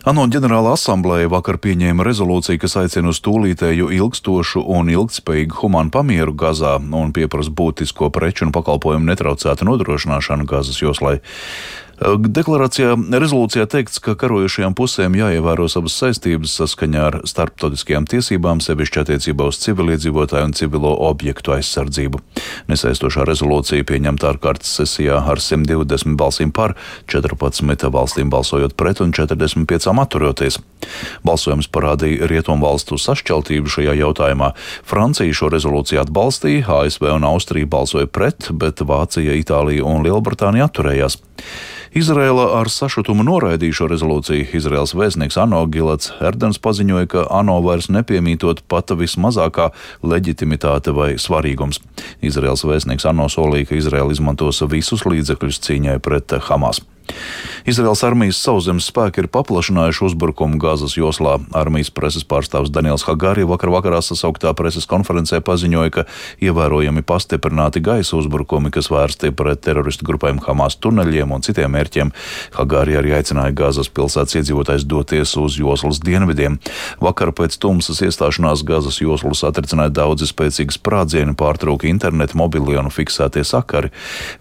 ANO ģenerāla asambleja vakar pieņēma rezolūciju, kas aicina uz tūlītēju, ilgstošu un ilgtspējīgu humānu pamieru Gazā un pieprasa būtisko preču un pakalpojumu netraucētu nodrošināšanu Gazas joslai. Rezolūcijā teikts, ka karojošajām pusēm jāievēro savas saistības saskaņā ar starptautiskajām tiesībām, sevišķi attiecībā uz civiliedzīvotāju un civilo objektu aizsardzību. Nesaistošā rezolūcija pieņemta ārkārtas sesijā ar 120 balsīm par, 14 valstīm balsojot pret un 45 atturoties. Balsojums parādīja rietumvalstu sašķeltību šajā jautājumā. Francija šo rezolūciju atbalstīja, ASV un Austrija balsoja pret, bet Vācija, Itālija un Lielbritānija atturējās. Izraela ar sašutumu noraidīja šo rezolūciju. Izraels vēstnieks ANO Gilats Erdens paziņoja, ka ANO vairs nepiemītot pat vismazākā leģitimitāte vai svarīgums. Izraels vēstnieks ANO solīja, ka Izraela izmantos visus līdzekļus cīņai pret Hamas. Izraels armijas sauszemes spēki ir paplašinājuši uzbrukumu Gazas joslā. Armijas preses pārstāvs Daniels Hagari vakarā sasauktā preses konferencē paziņoja, ka ievērojami pastiprināti gaisa uzbrukumi, kas vērsti pret teroristu grupēm Hamas tuneļiem un citiem mērķiem. Hagari arī aicināja Gazas pilsētas iedzīvotājs doties uz joslas dienvidiem. Vakar pēc tumsas iestāšanās Gazas joslu satricināja daudzi spēcīgi sprādzieni, pārtrūka interneta, mobilie un fiksētie sakari.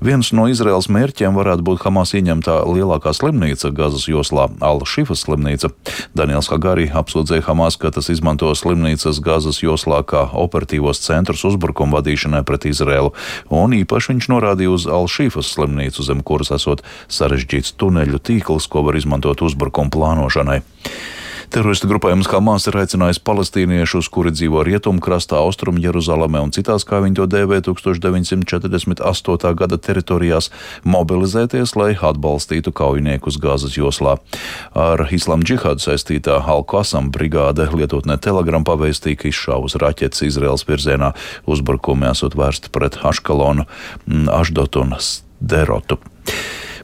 Viens no Izraels mērķiem varētu būt Hamas ieņemtā lielākā slimnīca Gazas joslā, Al-Šifas slimnīca. Daniels Hagari apsūdzēja Hamas, ka tas izmanto slimnīcas Gazas joslā kā operatīvos centrus uzbrukumu vadīšanai pret Izraelu, un īpaši viņš norādīja uz Al-Šifas slimnīcu, zem kuras esot sarežģīts tuneļu tīkls, ko var izmantot uzbrukumu plānošanai. Teroristu grupējums Hamas ir aicinājis palestīniešus, kuri dzīvo rietumkrastā, austrumu Jeruzalemē un citās, kā viņi to dēvē, 1948. gada teritorijās, mobilizēties, lai atbalstītu kaujiniekus Gazas joslā. Ar Islāma džihādu saistītā Al-Qasam brigāde lietotnē Telegram pavēstīja, ka izšāvus raķetes Izraels virzienā, uzbrukumi esot vērsti pret Aškalonu, Ašdotu un Sderotu.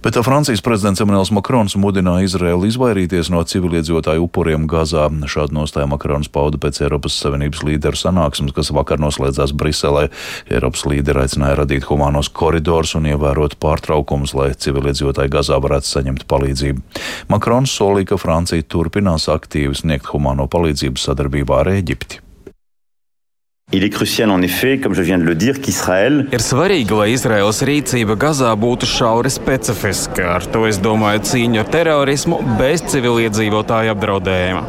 Bet Francijas prezidents Emmanuels Makrons mudināja Izraelu izvairīties no civiliedzīvotāju upuriem Gazā. Šādu nostāju Makrons pauda pēc Eiropas Savienības līderu sanāksmes, kas vakar noslēdzās Briselē. Eiropas līderi aicināja radīt humānos koridorus un ievērot pārtraukumus, lai civiliedzīvotāji Gazā varētu saņemt palīdzību. Makrons solīja, ka Francija turpinās aktīvi sniegt humāno palīdzību sadarbībā ar Ēģipti. Il est crucial, en effet, comme je viens de le dire, qu'Israël... Ir svarīgi, lai Izraēlas rīcība Gazā būtu šauri specifiska. Ar to es domāju cīņu ar terorismu bez civiliedzīvotāju apdraudējuma.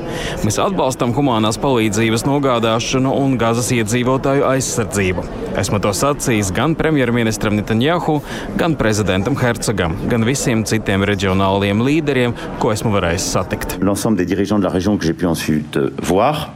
Mēs atbalstam humānās palīdzības nogādāšanu un Gazas iedzīvotāju aizsardzību. Esmu to sacījis gan premjerministram Netanjahu, gan prezidentam Herzogam, gan visiem citiem reģionāliem līderiem, ko esmu varējis satikt. L'ensemble des dirigeants de la région que j'ai pu ensuite voir.